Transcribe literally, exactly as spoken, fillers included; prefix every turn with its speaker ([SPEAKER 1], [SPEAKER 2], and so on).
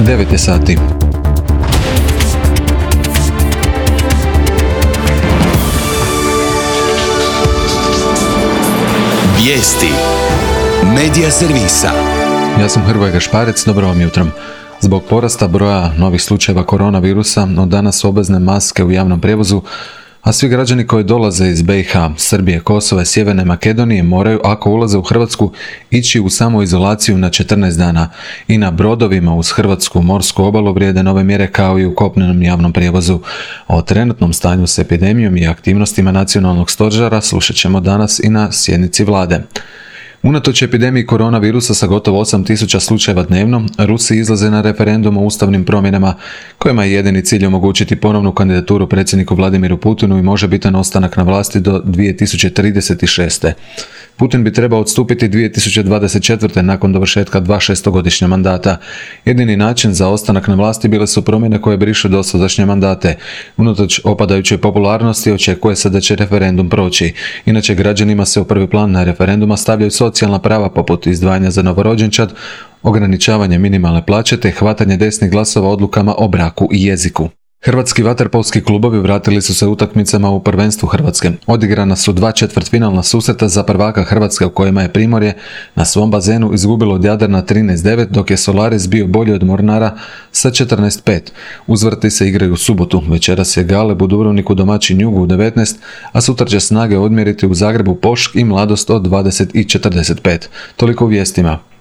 [SPEAKER 1] devet je sati.
[SPEAKER 2] Vijesti Medija servisa.
[SPEAKER 1] Ja sam Hrvoje Gašparec, dobro vam jutro. Zbog porasta broja novih slučajeva koronavirusa, od danas su obvezne maske u javnom prijevozu, a svi građani koji dolaze iz be i ha, Srbije, Kosova i Sjeverne Makedonije moraju, ako ulaze u Hrvatsku, ići u samoizolaciju na četrnaest dana. I na brodovima uz hrvatsku morsku obalu vrijede nove mjere kao i u kopnenom javnom prijevozu. O trenutnom stanju s epidemijom i aktivnostima nacionalnog stožera slušat ćemo danas i na sjednici vlade. Unatoč epidemiji koronavirusa sa gotovo osam tisuća slučajeva dnevno, Rusi izlaze na referendum o ustavnim promjenama, kojima je jedini cilj omogućiti ponovnu kandidaturu predsjedniku Vladimiru Putinu i možebitan ostanak na vlasti do dvije tisuće trideset šeste. Putin bi trebao odstupiti dvije tisuće dvadeset četvrte nakon dovršetka dva šestogodišnja mandata. Jedini način za ostanak na vlasti bile su promjene koje brišu dosadašnje mandate. Unatoč opadajućoj popularnosti očekuje se da će referendum proći. Inače, građanima se u prvi plan na referenduma stavljaju socijalna prava poput izdvajanja za novorođenčad, ograničavanje minimalne plaće te hvatanje desnih glasova odlukama o braku i jeziku. Hrvatski vaterpolski klubovi vratili su se utakmicama u prvenstvu Hrvatske. Odigrana su dva četvrtfinalna susreta za prvaka Hrvatske u kojima je Primorje na svom bazenu izgubilo od Jadrana trinaest devet, dok je Solaris bio bolji od Mornara sa četrnaest pet. Uzvrti se igraju u subotu. Večeras je Galeb u Dubrovniku domaćin Jugu u devetnaest, a sutra će Snage odmjeriti u Zagrebu Pošk i Mladost od dvadeset i četrdeset pet. Toliko u vijestima.